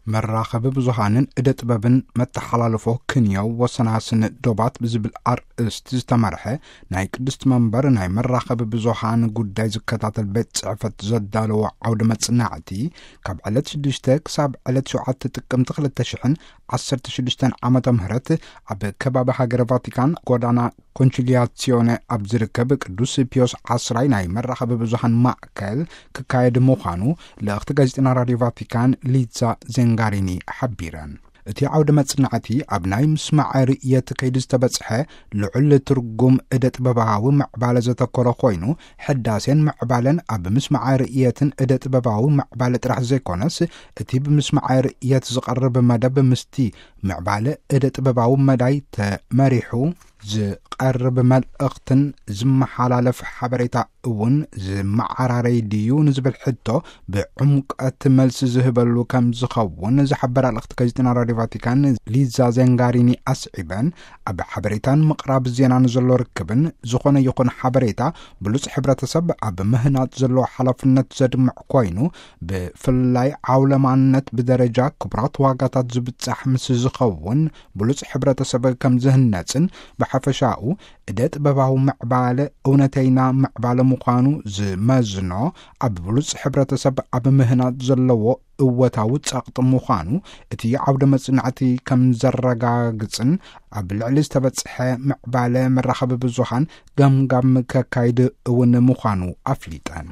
መራኸቢ ብዙሃንን እደ ጥበብን መተሓላለፎ ክንዮ ወሰናስን ዶባት ብዝብል ኣርእስቲ ዝተመርሐ ናይ ቅድስት መንበር ናይ መራኸቢ ብዙሃን ጉዳይ ዝከታተል ቤት ጽሕፈት ዘዳለዎ ዓውደ መጽናዕቲ፣ ካብ ዕለት ሽዱሽተ ክሳብ ዕለት ሸውዓተ ጥቅምቲ ክልተ ሽሕን ዓሰርተ ሽዱሽተን ዓመተ ምህረት ኣብ ከባቢ ሃገረ ቫቲካን ጎዳና ኮንቺሊያሲዮነ ኣብ ዝርከብ ቅዱስ ፒዮስ ዓስራይ ናይ መራኸቢ ብዙሃን ማእከል ክካየድ ምዃኑ ልእኽቲ ጋዜጠና ራድዮ ቫቲካን ሊዛ ዜንጋሪኒ ሓቢረን። እቲ ዓውደ መጽናዕቲ ኣብ ናይ ምስማዕ ርእየት ከይዲ ዝተበጽሐ ልዑል ትርጉም እደ ጥበባዊ ምዕባለ ዘተኮረ ኮይኑ፣ ሕዳሴን ምዕባለን ኣብ ምስማዕ ርእየትን እደ ጥበባዊ ምዕባለ ጥራሕ ዘይኮነስ፣ እቲ ብምስማዕ ርእየት ዝቐርብ መደብ ምስቲ ምዕባለ እደ ጥበባዊ መዳይ ተመሪሑ ዝቐርብ መልእኽትን ዝመሓላለፍ ሓበሬታ እውን ዝመዓራረይ ድዩ ንዝብል ሕቶ ብዕምቀት መልሲ ዝህበሉ ከም ዝኸውን ዝሓበራ ልእኽቲ ጋዜጠና ራድዮ ቫቲካን ሊዛ ዜንጋሪኒ ኣስዒበን፣ ኣብ ሓበሬታን ምቕራብ ዜናን ዘሎ ርክብን ዝኾነ ይኹን ሓበሬታ ብሉጽ ሕብረተሰብ ኣብ ምህናጽ ዘለዎ ሓላፍነት ዘድምዕ ኮይኑ፣ ብፍላይ ዓውለማነት ብደረጃ ክቡራት ዋጋታት ዝብጻሕ ምስ ዝኸውን ብሉጽ ሕብረተሰብ ከም ዝህነጽን፣ ብሓፈሻኡ እደ ጥበባዊ ምዕባለ እውነተይና ምዕባለ ምዃኑ ዝመዝኖ ኣብ ብሉጽ ሕብረተሰብ ኣብ ምህናጽ ዘለዎ እወታዊ ጸቕጢ ምዃኑ እቲ ዓውደ መጽናዕቲ ከም ዘረጋግጽን፣ ኣብ ልዕሊ ዝተበጽሐ ምዕባለ መራኸቢ ብዙሃን ገምጋም ከካይድ እውን ምዃኑ ኣፍሊጠን።